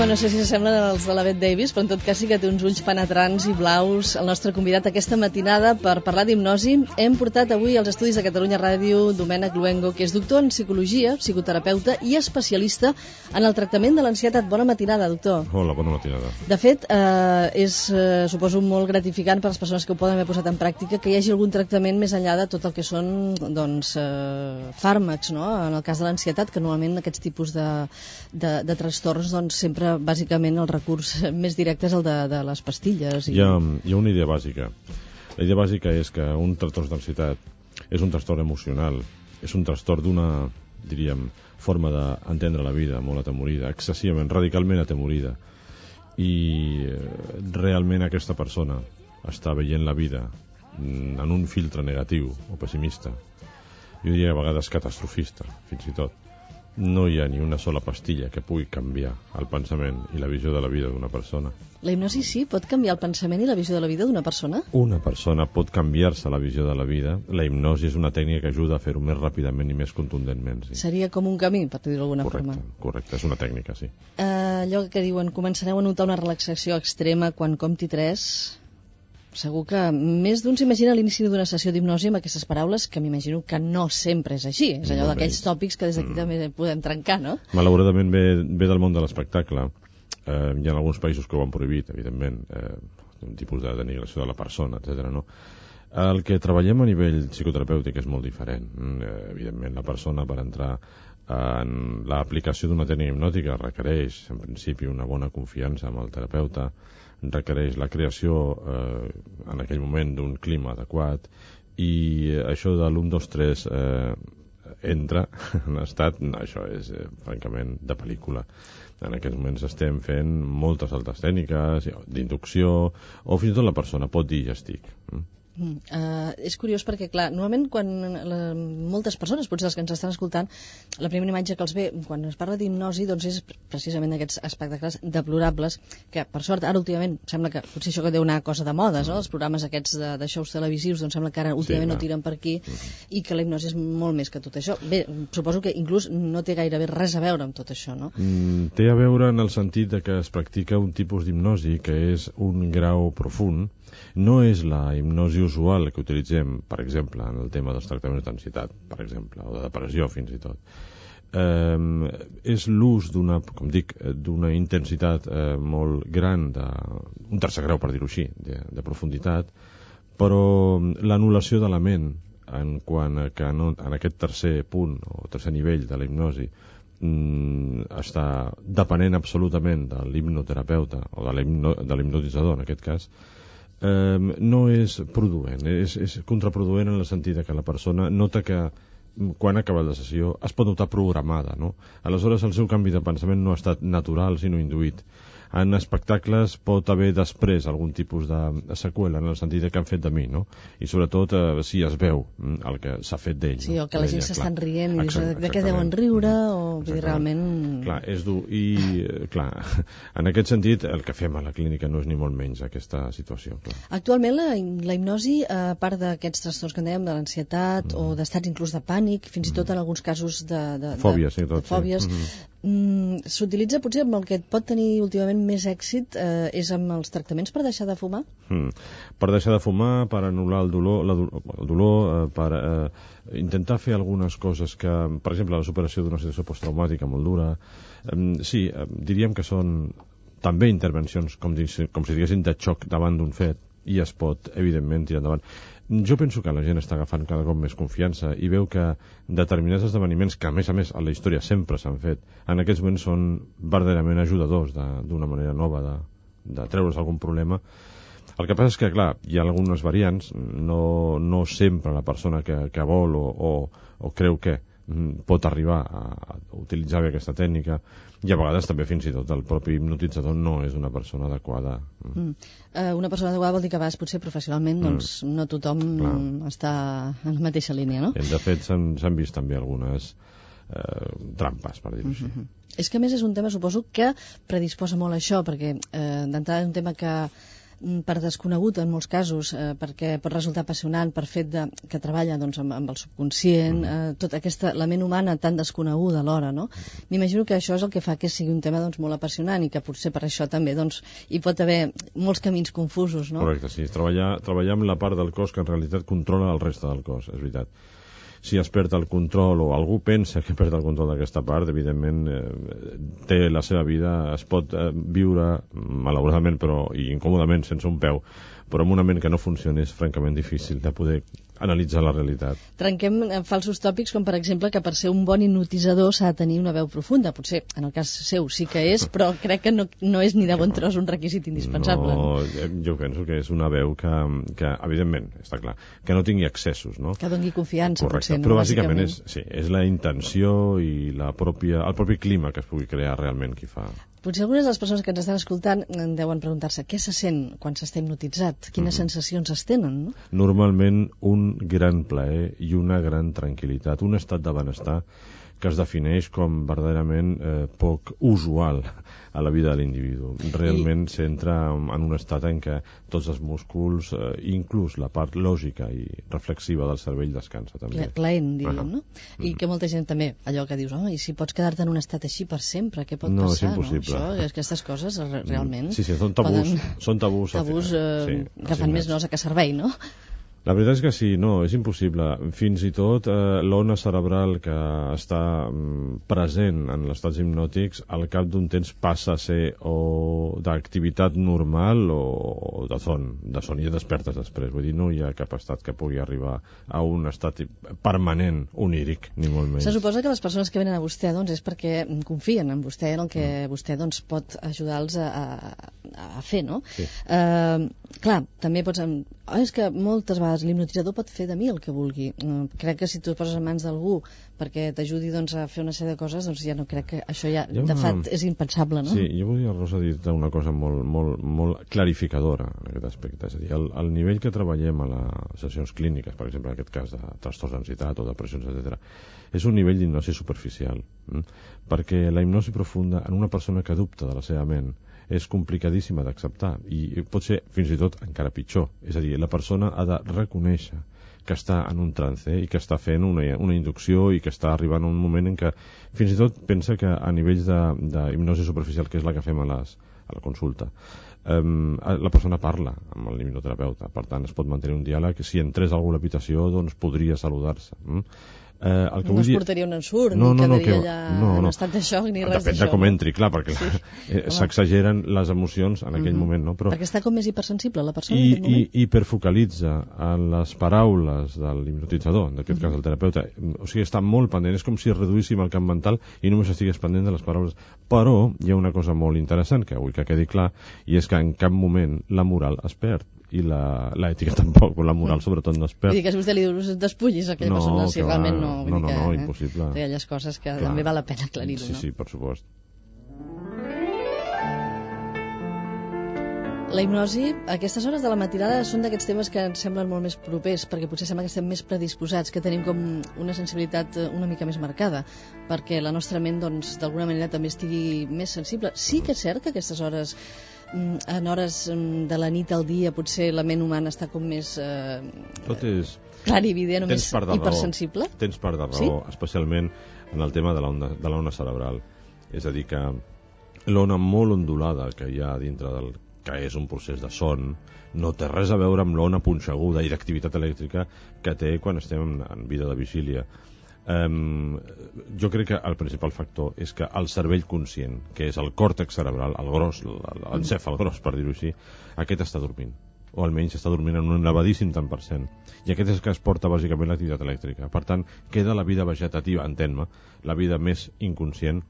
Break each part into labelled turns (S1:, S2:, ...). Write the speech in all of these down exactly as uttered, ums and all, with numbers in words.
S1: Home, no sé si s'assemblen als de la Bette Davis, però en tot cas sí que té uns ulls penetrants i blaus. El nostre convidat aquesta matinada per parlar d'hipnosi hem portat avui als estudis de Catalunya Ràdio Domènec Luengo, que és doctor en psicologia, psicoterapeuta i especialista en el tractament de l'ansietat. Bona matinada, doctor.
S2: Hola, bona matinada.
S1: De fet, eh, és, eh, suposo, molt gratificant per les persones que ho poden haver posat en pràctica que hi hagi algun tractament més enllà de tot el que són doncs, eh, fàrmacs, no? En el cas de l'ansietat, que normalment aquests tipus de, de, de trastorns doncs, sempre bàsicament el recurs més directe és el de, de les pastilles. I...
S2: Hi, ha, hi ha una idea bàsica. La idea bàsica és que un trastorn d'ansietat és un trastorn emocional, és un trastorn d'una, diríem, forma d'entendre la vida molt atemorida, excessivament, radicalment atemorida. I realment aquesta persona està veient la vida en un filtre negatiu o pessimista. Jo diria a vegades catastrofista, fins i tot. No hi ha ni una sola pastilla que pugui canviar el pensament i la visió de la vida d'una persona.
S1: La hipnosi sí pot canviar el pensament i la visió de la vida d'una persona?
S2: Una persona pot canviar-se la visió de la vida. La hipnosi és una tècnica que ajuda a fer-ho més ràpidament i més contundentment. Sí.
S1: Seria com un camí, per dir-ho d'alguna
S2: correcte,
S1: forma.
S2: Correcte, és una tècnica, sí.
S1: Uh, allò que diuen, començareu a notar una relaxació extrema quan compti tres... Segur que més d'un s'imagina a l'inici d'una sessió d'hipnosi amb aquestes paraules, que m'imagino que no sempre és així. És allò d'aquells tòpics que des d'aquí mm. també podem trencar, no?
S2: Malauradament ve, ve del món de l'espectacle. Eh, hi ha alguns països que ho han prohibit, evidentment, eh, un tipus de denigració de la persona, etcètera. No? El que treballem a nivell psicoterapèutic és molt diferent. Eh, evidentment, la persona per entrar en l'aplicació d'una tècnica hipnòtica requereix, en principi, una bona confiança amb el terapeuta, requereix la creació eh, en aquell moment d'un clima adequat i això de l'un, dos, tres eh, entra en estat, no, això és eh, francament de pel·lícula. En aquests moments estem fent moltes altres tècniques d'inducció o fins i tot la persona pot dir ja estic. Mm.
S1: Mm, uh, és curiós perquè, clar, normalment quan la, moltes persones, potser els que ens estan escoltant, la primera imatge que els ve quan es parla d'hipnosi doncs és precisament aquests espectacles deplorables que, per sort, ara últimament sembla que potser això que deu anar cosa de modes, no? Els programes aquests de, de shows televisius, doncs sembla que ara últimament sí, no tiren per aquí mm-hmm. i que la hipnosi és molt més que tot això. Bé, suposo que inclús no té gairebé res a veure amb tot això, no?
S2: Mm, té a veure en el sentit de que es practica un tipus d'hipnosi que és un grau profund. No és la hipnosi usual que utilitzem, per exemple, en el tema dels tractaments d'ansietat, per exemple, o de depressió fins i tot. Eh, és l'ús d'una, com dic, d'una intensitat eh, molt gran, de, un tercer grau, per dir-ho així, de, de profunditat, però l'anul·lació de la ment en quant a que no, en aquest tercer punt o tercer nivell de la hipnosi mm, està depenent absolutament de l'hipnoterapeuta o de l'hipnotitzador, en aquest cas, Eh, no és produent, és, és contraproduent en el sentit que la persona nota que quan acaba la sessió es pot notar programada, no? Aleshores el seu canvi de pensament no ha estat natural sinó induït. En espectacles pot haver després algun tipus de seqüela en el sentit que han fet de mi, no? I sobretot eh, si es veu el que s'ha fet d'ell.
S1: Sí,
S2: no?
S1: o que la gent s'estan rient i dius de què deuen riure o dir, realment...
S2: Clar, és dur. I, clar, en aquest sentit el que fem a la clínica no és ni molt menys aquesta situació. Clar.
S1: Actualment la, la hipnosi, a part d'aquests trastorns que en dèiem, de l'ansietat mm. o d'estats inclús de pànic, fins i tot en alguns casos de... de, de
S2: fòbies, sí, tot.
S1: De fòbies, sí. mm-hmm. Mm, s'utilitza potser amb el que pot tenir últimament més èxit eh, és amb els tractaments per deixar de fumar?
S2: Mm. Per deixar de fumar, per anul·lar el dolor, la, el dolor eh, per eh, intentar fer algunes coses que, per exemple, la superació d'una situació posttraumàtica molt dura. Eh, sí, eh, diríem que són també intervencions, com, di, com si diguéssim, de xoc davant d'un fet i es pot, evidentment, tirar endavant. Jo penso que la gent està agafant cada cop més confiança i veu que determinats esdeveniments que, a més a més, a la història sempre s'han fet, en aquests moments són verdaderament ajudadors d'una manera nova de, de treure's algun problema. El que passa és que, clar, hi ha algunes variants, no, no sempre la persona que, que vol o, o, o creu que pot arribar a, a utilitzar bé aquesta tècnica i a vegades també fins i tot el propi hipnotitzador no és una persona adequada.
S1: Mm. Uh, una persona adequada vol dir que a vegades potser professionalment mm. doncs, no tothom Clar. està en la mateixa línia, no?
S2: I de fet s'han vist també algunes eh, trampes, per dir-ho així.
S1: Mm-hmm. És que a més és un tema, suposo, que predisposa molt a això, perquè eh, d'entrada és un tema que per desconegut en molts casos, eh, perquè pot resultar apassionant per fet de, que treballa doncs, amb, amb el subconscient, eh, tota aquesta, la ment humana tan desconeguda alhora, no? M'imagino que això és el que fa que sigui un tema doncs, molt apassionant i que potser per això també doncs, hi pot haver molts camins confusos, no?
S2: Correcte, sí. Treballar, treballar amb la part del cos que en realitat controla el reste del cos, és veritat. Si es perd el control o algú pensa que perd el control d'aquesta part, evidentment eh, té la seva vida, es pot eh, viure malauradament però i incòmodament sense un peu, però amb una ment que no funciona és francament difícil de poder analitzar la realitat.
S1: Trenquem falsos tòpics com per exemple que per ser un bon hipnotitzador s'ha de tenir una veu profunda. Potser en el cas seu sí que és, però crec que no, no és ni de bon tros un requisit indispensable.
S2: No, jo penso que és una veu que, que evidentment, està clar, que no tingui excessos, no?
S1: Que doni confiança.
S2: Correcte,
S1: potser, no?
S2: Però bàsicament, bàsicament és, sí, és la intenció i la pròpia, el propi clima que es pugui crear realment qui fa.
S1: Potser algunes de les persones que ens estan escoltant deuen preguntar-se què se sent quan s'està hipnotitzat, quines mm. sensacions es tenen, no?
S2: Normalment un gran plaer i una gran tranquil·litat, un estat de benestar que es defineix com verdaderament eh, poc usual a la vida de l'individu. Realment I... s'entra en un estat en què tots els músculs, eh, inclús la part lògica i reflexiva del cervell descansa també.
S1: Plaent, diríem, no? I que molta gent també, allò que dius, oh, i si pots quedar-te en un estat així per sempre, què pot
S2: no,
S1: passar?
S2: És impossible.
S1: No, això, aquestes coses realment...
S2: Sí, sí, són tabús. Poden... Són tabús.
S1: Tabús eh, sí, que fan més nosa que servei, no?
S2: La veritat és que sí, no, és impossible. Fins i tot eh, l'ona cerebral que està mm, present en els estats hipnòtics al cap d'un temps passa a ser o d'activitat normal o, o de son, de son i despertes després. Vull dir, no hi ha cap estat que pugui arribar a un estat permanent, oníric, ni molt menys.
S1: Se suposa que les persones que venen a vostè doncs, és perquè confien en vostè, en el que mm. vostè doncs, pot ajudar-los a, a, a fer, no?
S2: Sí.
S1: Eh, clar, també pots... Oh, és que moltes vegades l'hipnotitzador pot fer de mi el que vulgui. Uh, crec que si tu et poses en mans d'algú perquè t'ajudi doncs, a fer una sèrie de coses, doncs ja no crec que això ja, ja de fet, és impensable, no?
S2: Sí, jo volia, Rosa, dir-te una cosa molt, molt, molt clarificadora en aquest aspecte. És a dir, el, el nivell que treballem a les sessions clíniques, per exemple, en aquest cas de trastorns d'ansietat o depressions, etcètera, és un nivell d'hipnosi superficial. Mm? Perquè la hipnosi profunda en una persona que dubta de la seva ment és complicadíssima d'acceptar i pot ser fins i tot encara pitjor. És a dir, la persona ha de reconèixer que està en un trance i que està fent una, una inducció i que està arribant a un moment en què fins i tot pensa que a nivells d'hipnosi superficial, que és la que fem a, les, a la consulta, um, la persona parla amb el hipnoterapeuta, per tant es pot mantenir un diàleg. Si entrés algú a l'habitació doncs podria saludar-se. Mm? Eh, el que
S1: no
S2: vull
S1: es
S2: dir...
S1: portaria un ensurt,
S2: no,
S1: ni
S2: no,
S1: quedaria
S2: no,
S1: allà
S2: no, no.
S1: en estat de xoc, ni res d'això.
S2: Depèn de com entri, clar, perquè sí. eh, s'exageren les emocions en aquell
S1: mm-hmm.
S2: moment, no? Però...
S1: Perquè està com més hipersensible la persona
S2: I,
S1: en aquest moment.
S2: I hiperfocalitza en les paraules de l'hipnotitzador, en aquest mm-hmm. cas el terapeuta. O sigui, està molt pendent, és com si reduíssim el camp mental i només estigués pendent de les paraules. Però hi ha una cosa molt interessant que vull que quedi clar, i és que en cap moment la moral es perd. I l'ètica tampoc, la moral sobretot no es perd.
S1: Vull dir que si vostè li diu despullis a aquella
S2: no,
S1: persona, si realment no...
S2: No, no,
S1: que,
S2: no,
S1: eh?
S2: impossible.
S1: Hi ha aquelles coses que
S2: Clar.
S1: també val la pena aclarir-ho,
S2: sí,
S1: no?
S2: Sí, sí, per supost.
S1: La hipnosi, a aquestes hores de la matinada són d'aquests temes que ens semblen molt més propers, perquè potser sembla que estem més predisposats, que tenim com una sensibilitat una mica més marcada, perquè la nostra ment, doncs, d'alguna manera també estigui més sensible. Sí que és cert que aquestes hores, en hores de la nit al dia, potser la ment humana està com més eh,
S2: Tot és...
S1: clar i evident, o més hipersensible.
S2: Tens part de raó,
S1: sí?
S2: Especialment en el tema de l'ona de l'ona cerebral. És a dir, que l'ona molt ondulada que hi ha dintre del que és un procés de son, no té res a veure amb l'ona punxeguda i d'activitat elèctrica que té quan estem en, en vida de vigília. Um, jo crec que el principal factor és que el cervell conscient, que és el còrtex cerebral, el gros, l'encèfal gros, per dir-ho així, aquest està dormint, o almenys està dormint en un elevadíssim tant per cent, i aquest és que es porta bàsicament l'activitat elèctrica. Per tant, queda la vida vegetativa, entén-me, la vida més inconscient,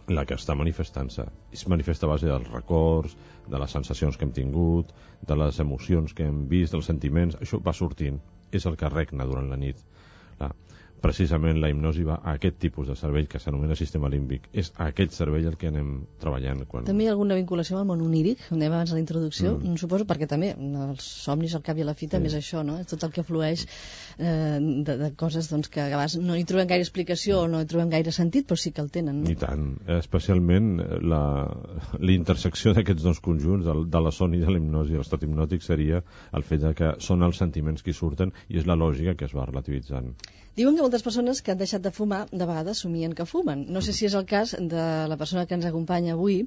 S2: la que està manifestant-se. Es manifesta a base dels records, de les sensacions que hem tingut, de les emocions que hem vist, dels sentiments. Això va sortint. És el que regna durant la nit. Clar. precisament la hipnosi va a aquest tipus de cervell que s'anomena sistema límbic. És a aquest cervell el que anem treballant. Quan...
S1: També hi ha alguna vinculació amb el món oníric, com dèiem abans a la introducció, mm. suposo, perquè també els somnis al cap i a la fi també sí. és això, no? És tot el que flueix eh, de, de coses doncs, que a vegades no hi trobem gaire explicació o no hi trobem gaire sentit, però sí que el tenen. No?
S2: I tant. Especialment la, l'intersecció d'aquests dos conjunts, de, de la son i de l'hipnosi, l'estat hipnòtic, seria el fet de que són els sentiments que hi surten i és la lògica que es va relativitzant.
S1: Diuen que moltes persones que han deixat de fumar de vegades somien que fumen. No sé si és el cas de la persona que ens acompanya avui,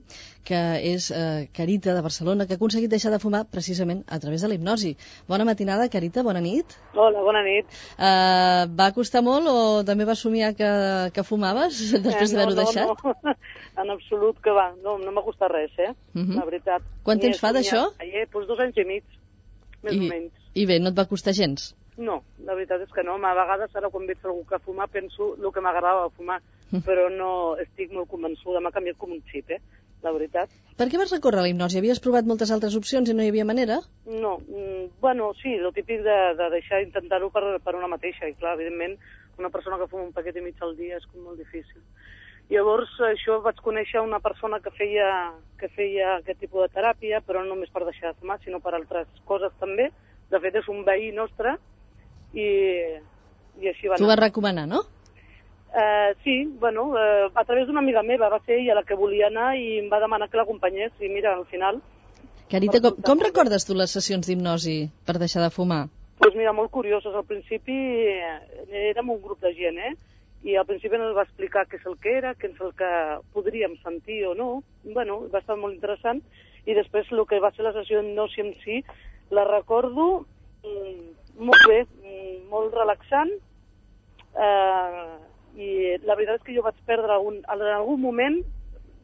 S1: que és eh, Carita de Barcelona, que ha aconseguit deixar de fumar precisament a través de la hipnosi. Bona matinada, Carita, bona nit.
S3: Hola, bona nit.
S1: Uh, va costar molt o també vas somiar que, que fumaves després eh, no, d'haver-ho
S3: no,
S1: deixat?
S3: No, en absolut que va. No, no m'ha costat res, eh? Uh -huh. La veritat.
S1: Quant temps fa d'això?
S3: Eh, doncs dos anys i mig, més
S1: I,
S3: o menys.
S1: I bé, no et va costar gens?
S3: No, la veritat és que no. A vegades, ara quan veig algú que fumar, penso el que m'agradava fumar, però no estic molt convençuda. M'ha canviat com un xip, eh? La veritat.
S1: Per què vas recórrer a la hipnosi? Havies provat moltes altres opcions i no hi havia manera?
S3: No, mm, bueno, sí, el típic de, de deixar intentar-ho per, per una mateixa. I clar, evidentment, una persona que fuma un paquet i mig al dia és com molt difícil. Llavors, això vaig conèixer una persona que feia, que feia aquest tipus de teràpia, però no només per deixar de fumar, sinó per altres coses també. De fet, és un veí nostre, i, i així va anar.
S1: Tu vas recomanar, no?
S3: Uh, sí, bueno, uh, a través d'una amiga meva, va ser ella la que volia anar i em va demanar que l'acompanyés, i mira, al final...
S1: Carita, com, com recordes tu les sessions d'hipnosi per deixar de fumar?
S3: Doncs pues mira, molt curioses. Al principi érem un grup de gent, eh? I al principi ens va explicar què és el que era, què és el que podríem sentir o no. Bueno, va estar molt interessant. I després el que va ser la sessió d'hipnosi en si, la recordo mm, molt bé, mm, molt relaxant, eh, i la veritat és que jo vaig perdre algun, en algun moment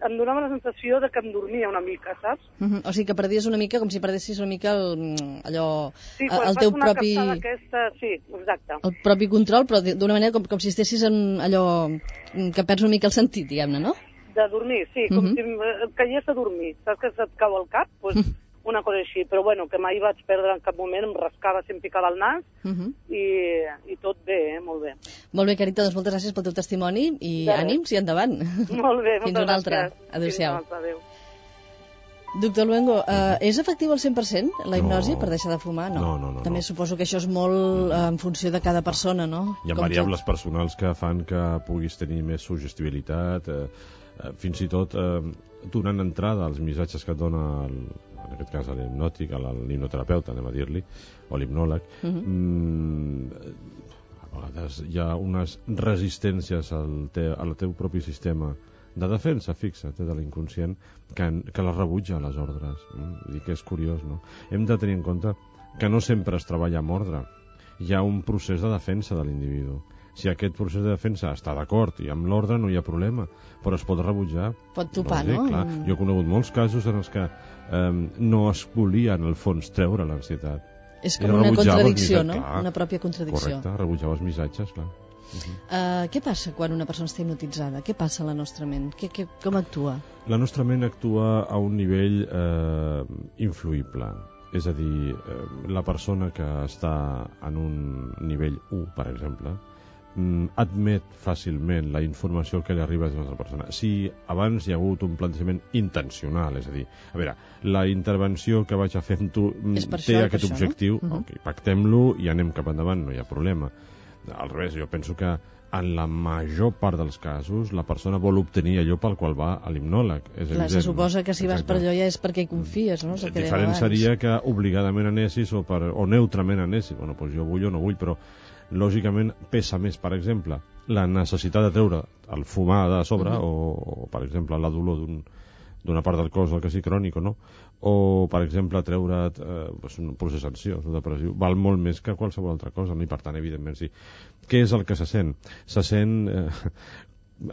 S3: em donava la sensació de que em dormia una mica, saps?
S1: Uh -huh. O sigui que perdies una mica com si perdessis una mica el, allò,
S3: sí,
S1: el teu propi...
S3: Aquesta, sí, exacte.
S1: El propi control, però d'una manera com, com si estessis en allò que perds una mica el sentit, diguem-ne, no?
S3: De dormir, sí, com uh -huh. si em caigués a dormir. Saps que se't cau al cap? Doncs pues, una cosa així, però bueno, que mai vaig perdre en cap moment, em rascava, si em picava el nas, uh -huh. i, i tot bé, eh? Molt bé.
S1: Molt bé, Carita, doncs moltes gràcies pel teu testimoni i
S3: de
S1: ànims i endavant.
S3: Molt bé, moltes
S1: Fins una altra.
S3: gràcies.
S1: Adéu-siau.
S3: Fins una altra, adéu.
S1: Doctor Luengo, uh, és efectiu al cent per cent la hipnosi
S2: no.
S1: per deixar de fumar? No,
S2: no, no, no
S1: També
S2: no.
S1: suposo que això és molt uh, en funció de cada persona, no?
S2: Hi ha
S1: Com
S2: variables
S1: tot.
S2: personals que fan que puguis tenir més suggestibilitat, eh, eh, fins i tot eh, donant entrada als missatges que et dona el, en aquest cas l'hipnòtic, l'hipnoterapeuta, anem a dir-li, o l'hipnòleg. Uh -huh. mm, a vegades hi ha unes resistències al, te, al teu propi sistema de defensa, fixa't, de l'inconscient, que, que la rebutja, les ordres. Mm? Vull dir que és curiós, no? Hem de tenir en compte que no sempre es treballa amb ordre. Hi ha un procés de defensa de l'individu. Si aquest procés de defensa està d'acord i amb l'ordre no hi ha problema, però es pot rebutjar.
S1: Pot topar,
S2: no?
S1: no?
S2: Clar, jo he conegut molts casos en els que eh, no es volia, en el fons, treure l'ansietat.
S1: És com una contradicció, no? Clar, una pròpia contradicció.
S2: Correcte, rebutjava els missatges, clar.
S1: Uh -huh. uh, què passa quan una persona està hipnotitzada? Què passa a la nostra ment? Què, què, com actua?
S2: La nostra ment actua a un nivell eh, influïble. És a dir, eh, la persona que està en un nivell u, per exemple, admet fàcilment la informació que li arriba d'una altra persona. Si abans hi ha hagut un plantejament intencional, és a dir, a veure, la intervenció que vaig a fer amb tu té aquest
S1: això,
S2: objectiu,
S1: no? uh -huh.
S2: okay, pactem-lo i anem cap endavant, no hi ha problema. Al revés, jo penso que en la major part dels casos la persona vol obtenir allò pel qual va a l'hipnòleg. És
S1: Clar,
S2: evident,
S1: se suposa que si
S2: Exacte.
S1: vas per allò ja és perquè hi confies, no?
S2: El diferent seria que obligadament anessis o, per, o neutrament anessis. Bueno, doncs jo vull o no vull, però lògicament pesa més, per exemple, la necessitat de treure el fumar de sobre, uh -huh. o, o per exemple la dolor d'un d'una part del cos, el que sigui crònic o no, o per exemple treure't eh, pues un procés ansiós o depressiu, val molt més que qualsevol altra cosa, no? I per tant, evidentment, sí. Què és el que se sent? Se sent, eh,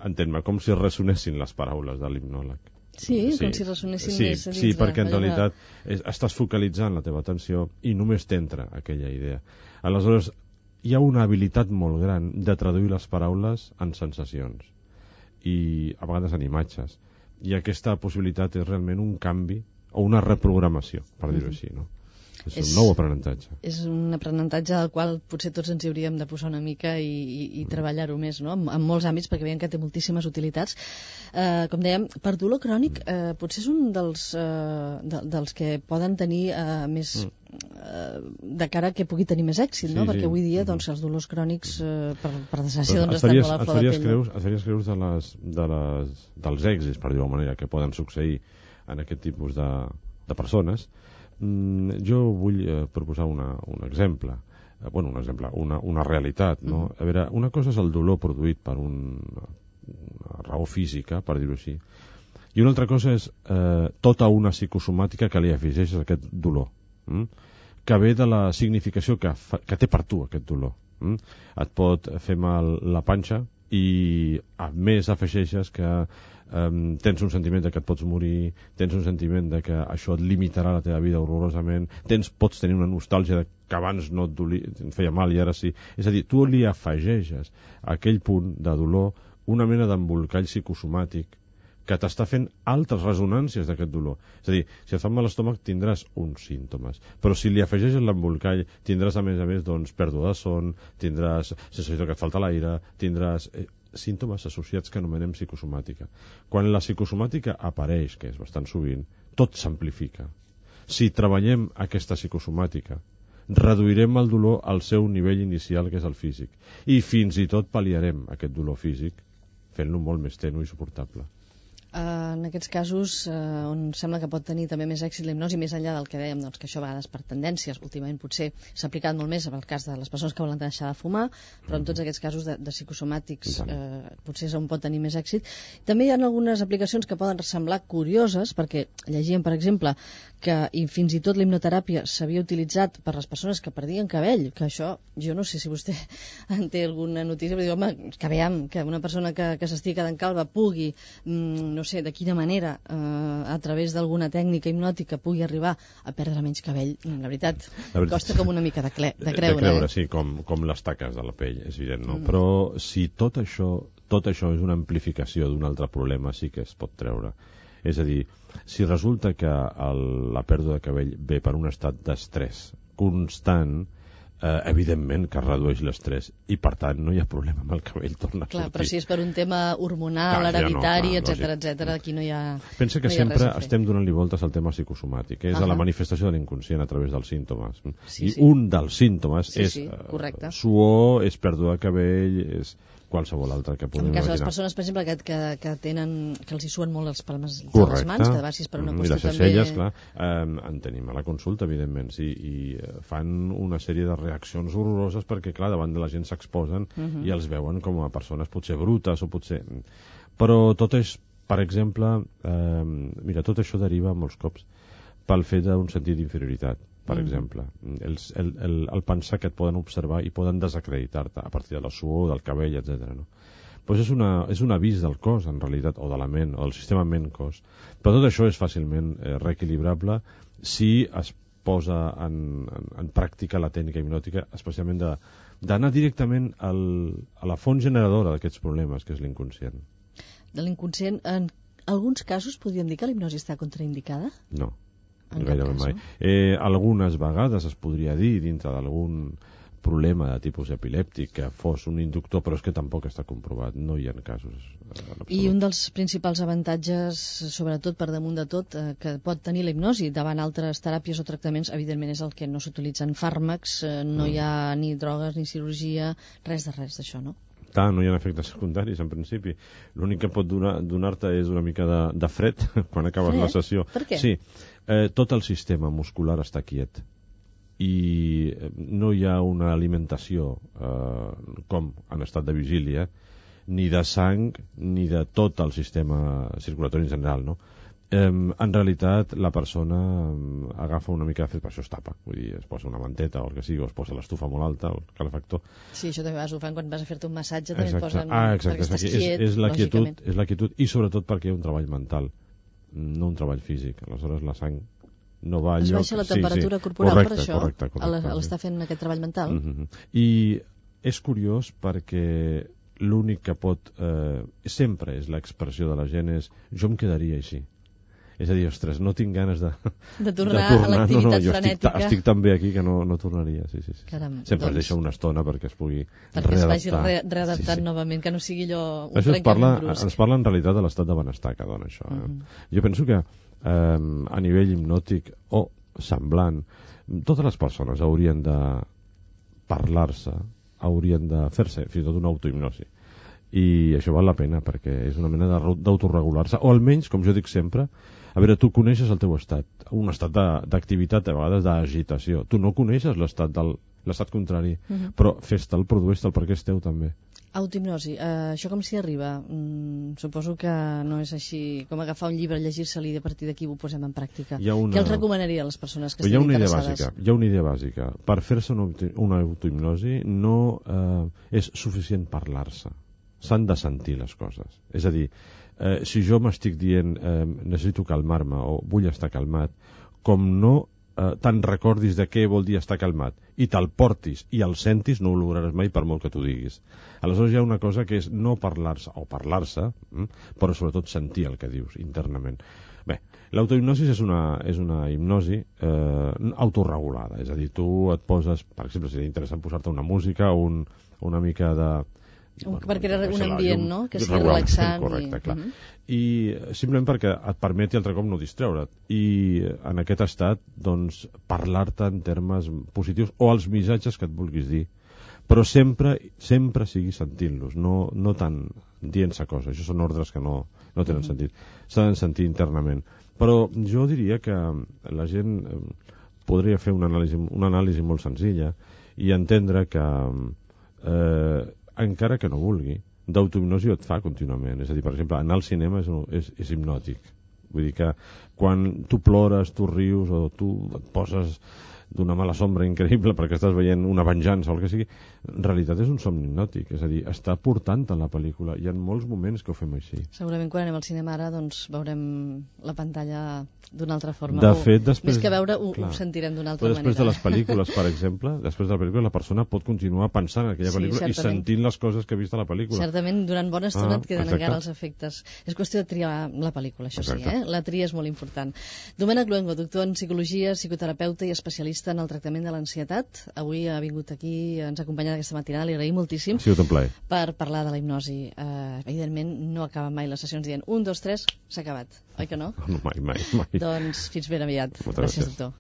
S2: entén-me, com si ressonessin les paraules de l'hipnòleg.
S1: Sí, sí, com si ressonessin
S2: sí,
S1: més a dins.
S2: Sí, perquè en
S1: allà...
S2: realitat és, estàs focalitzant la teva atenció i només t'entra aquella idea. Aleshores, hi ha una habilitat molt gran de traduir les paraules en sensacions i a vegades en imatges. I aquesta possibilitat és realment un canvi o una reprogramació, per dir-ho així, no? És, és un nou aprenentatge.
S1: És un aprenentatge del qual potser tots ens hi hauríem de posar una mica i, i, i treballar-ho més, no? En, en molts àmbits, perquè veiem que té moltíssimes utilitats. Eh, com dèiem, per dolor crònic eh, potser és un dels, eh, de, dels que poden tenir eh, més... Mm. de cara que pugui tenir més èxit, no? Sí, perquè avui dia doncs, els dolors crònics eh, per, per desgràcia doncs, estan molt a flor de pell.
S2: Creus, et faries creus de les, de les, dels èxits, per dir-ho manera, que poden succeir en aquest tipus de, de persones. Mm, jo vull eh, proposar una, un exemple, eh, bueno, un exemple, una, una realitat, no? Mm. A veure, una cosa és el dolor produït per un, una raó física, per dir-ho així, i una altra cosa és eh, tota una psicosomàtica que li afegeix a aquest dolor. Mm? Que ve de la significació que, fa, que té per tu aquest dolor. Mm? Et pot fer mal la panxa i a més afegeixes que um, tens un sentiment de que et pots morir, tens un sentiment de que això et limitarà la teva vida horrorosament, tens, pots tenir una nostàlgia de que abans no et, doli, et feia mal i ara sí. És a dir, tu li afegeixes a aquell punt de dolor una mena d'embolcall psicosomàtic que t'està fent altres resonàncies d'aquest dolor. És a dir, si et fa mal l'estómac tindràs uns símptomes, però si li afegeixes l'embolcall tindràs a més a més doncs, pèrdua de son, tindràs sensació que et falta l'aire, tindràs eh, símptomes associats que anomenem psicosomàtica. Quan la psicosomàtica apareix, que és bastant sovint, tot s'amplifica. Si treballem aquesta psicosomàtica, reduirem el dolor al seu nivell inicial, que és el físic, i fins i tot pal·liarem aquest dolor físic fent-lo molt més tenu i suportable.
S1: Uh, en aquests casos uh, on sembla que pot tenir també més èxit la hipnosi, més enllà del que dèiem, doncs, que això a vegades per tendències, últimament potser s'ha aplicat molt més en el cas de les persones que volen deixar de fumar, però en tots aquests casos de, de psicosomàtics uh, potser és on pot tenir més èxit. També hi ha algunes aplicacions que poden semblar curioses, perquè llegíem, per exemple, que i fins i tot la hipnoteràpia s'havia utilitzat per les persones que perdien cabell, que això, jo no sé si vostè en té alguna notícia, però diu, home, que veiem que una persona que, que s'estigui quedant calva pugui, mm, no sé de quina manera, eh, a través d'alguna tècnica hipnòtica pugui arribar a perdre menys cabell, la veritat, la veritat costa com una mica de, cle, de creure.
S2: De creure,
S1: eh?
S2: sí, com, com les taques de la pell, és evident, no? Mm. Però si tot això, tot això és una amplificació d'un altre problema, sí que es pot treure. És a dir, si resulta que el, la pèrdua de cabell ve per un estat d'estrès constant, eh, evidentment que redueix l'estrès i per tant no hi ha problema amb el cabell, torna a
S1: clar,
S2: sortir.
S1: Però si és per un tema hormonal, clar, hereditari, no, etcètera, etcètera, aquí no hi ha
S2: pensa que
S1: no
S2: sempre estem donant-li voltes al tema psicosomàtic, que és uh -huh. la manifestació de l'inconscient a través dels símptomes. Sí, I sí. un dels símptomes sí, és sí, uh, suor, és pèrdua de cabell, és qualsevol altre que podem
S1: imaginar. En cas de les persones, per exemple, que, que, que tenen, que els hi suen molt les palmes de
S2: correcte.
S1: Les mans, que de vegades és per una qüestió també...
S2: I les celles, clar, eh, en tenim a la consulta, evidentment, sí, i fan una sèrie de reaccions horroroses perquè, clar, davant de la gent s'exposen uh -huh. i els veuen com a persones potser brutes o potser... Però tot és, per exemple, eh, mira, tot això deriva molts cops pel fet d'un sentit d'inferioritat, per mm. exemple. El, el, el, el pensar que et poden observar i poden desacreditar-te a partir de la suor, del cabell, etcètera. No? Pues és, una, és un avís del cos, en realitat, o de la ment, o del sistema ment-cos. Però tot això és fàcilment eh, reequilibrable si es posa en, en, en pràctica la tècnica hipnòtica, especialment d'anar directament al, a la font generadora d'aquests problemes, que és l'inconscient.
S1: De l'inconscient, en alguns casos podríem dir que la hipnosi està contraindicada?
S2: No. Gairebé mai. Eh, algunes vegades es podria dir, dintre d'algun problema de tipus epilèptic, que fos un inductor, però és que tampoc està comprovat, no hi ha casos.
S1: I un dels principals avantatges, sobretot per damunt de tot, eh, que pot tenir la hipnosi davant altres teràpies o tractaments, evidentment és el que no s'utilitzen fàrmacs, eh, no mm. hi ha ni drogues ni cirurgia, res de res d'això, no?
S2: Clar, no hi ha efectes secundaris, en principi. L'únic que pot donar, donar-te és una mica de, de fred quan acabes fred? la sessió.
S1: Per què?
S2: Sí, eh, tot el sistema muscular està quiet i no hi ha una alimentació eh, com en estat de vigília, ni de sang ni de tot el sistema circulatori en general, no? Eh, en realitat la persona agafa una mica de fred, per això es tapa, vull dir, es posa una manteta o el que sigui, o es posa l'estufa molt alta o el calefactor.
S1: Sí, això també vas ho fan quan vas a fer-te un massatge, també
S2: exacte.
S1: et posen
S2: ah, exacte,
S1: perquè estàs
S2: quiet, és, és la quietud, és la quietud, i sobretot perquè hi ha un treball mental, no un treball físic. Aleshores la sang no va
S1: es
S2: lloc...
S1: baixa la temperatura
S2: sí, sí.
S1: corporal
S2: correcte,
S1: per això,
S2: correcte, correcte,
S1: a l'estar fent aquest treball mental.
S2: Mm-hmm. I és curiós perquè l'únic que pot eh, sempre és l'expressió de la gent és jo em quedaria així. És a dir, ostres, no tinc ganes de,
S1: de tornar,
S2: de tornar.
S1: a l'activitat
S2: no, no, jo
S1: frenètica.
S2: Estic, estic tan bé aquí que no, no tornaria. Sí, sí, sí.
S1: Caram,
S2: Sempre
S1: doncs,
S2: es deixa una estona perquè es pugui
S1: perquè
S2: readaptar.
S1: es vagi re readaptant
S2: sí, sí.
S1: novament, que no sigui allò un
S2: això ens parla,
S1: trencament brusc.
S2: ens parla en realitat de l'estat de benestar que dona això. Eh?
S1: Uh -huh.
S2: Jo penso que eh, a nivell hipnòtic o semblant, totes les persones haurien de parlar-se, haurien de fer-se fins i tot una autohipnosi. I això val la pena perquè és una mena d'autoregular-se, o almenys, com jo dic sempre, a veure, tu coneixes el teu estat, un estat d'activitat, a vegades d'agitació. Tu no coneixes l'estat del l'estat contrari, uh -huh. però fes-te'l, produeix-te'l perquè és teu també.
S1: Autohipnosi, uh, això com s'hi arriba? Mm, suposo que no és així com agafar un llibre, llegir-se-li i a partir d'aquí ho posem en pràctica. Una... Què els recomanaria a les persones que
S2: estiguin
S1: interessades?
S2: Bàsica, hi ha una idea bàsica. Per fer-se una, una autohipnosi no eh, és suficient parlar-se. S'han de sentir les coses. És a dir, eh, si jo m'estic dient eh, necessito calmar-me o vull estar calmat, com no eh, te'n recordis de què vol dir estar calmat i te'l portis i el sentis, no ho lograràs mai per molt que t'ho diguis. Aleshores hi ha una cosa que és no parlar-se o parlar-se, hm, però sobretot sentir el que dius internament. Bé, l'autohipnosi és una, és una hipnosi eh, autorregulada, és a dir, tu et poses, per exemple, seria interessant posar-te una música, un, una mica de...
S1: Un, bueno, perquè era un ambient, llum, no?, que sigui
S2: regular,
S1: relaxant.
S2: Correcte,
S1: i...
S2: clar.
S1: Uh -huh.
S2: I simplement perquè et permeti altre cop no distreure't. I en aquest estat, doncs, parlar-te en termes positius o els missatges que et vulguis dir. Però sempre, sempre sigui sentint-los, no, no tant dient-se coses. Això són ordres que no, no tenen uh -huh. sentit. S'han de sentir internament. Però jo diria que la gent podria fer una anàlisi, una anàlisi molt senzilla i entendre que eh, encara que no vulgui, d'autohipnosi et fa contínuament. És a dir, per exemple, anar al cinema és, és, és hipnòtic. Vull dir que quan tu plores, tu rius o tu et poses d'una mala sombra increïble perquè estàs veient una venjança o el que sigui, en realitat és un somni hipnòtic, és a dir, està portant en la pel·lícula. Hi ha molts moments que ho fem així.
S1: Segurament quan anem al cinema ara doncs veurem la pantalla d'una altra forma.
S2: De
S1: o,
S2: fet, després...
S1: Més que veure, ho, ho sentirem d'una altra
S2: però després
S1: manera.
S2: Després de les pel·lícules, per exemple, després de la pel·lícula, la persona pot continuar pensant en aquella
S1: sí,
S2: pel·lícula
S1: certament.
S2: i sentint les coses que ha vist a la pel·lícula.
S1: Certament, durant bona estona
S2: ah,
S1: et queden
S2: exacte.
S1: encara els efectes. És qüestió de triar la pel·lícula, això
S2: exacte.
S1: sí, eh? La tria és molt important. Domènec Luengo, doctor en psicologia, psicoterapeuta i especialista en el tractament de l'ansietat. Avui ha vingut aquí, ens ha acompanyat aquesta matinada, li agraïm moltíssim.
S2: Ha sigut un plaer.
S1: Per parlar de la hipnosi. Uh, evidentment, no acaben mai les sessions dient un, dos, tres, s'ha acabat. Oi que no?
S2: No, mai, mai, mai.
S1: Doncs fins ben aviat.
S2: Moltes gràcies,
S1: gràcies doctor.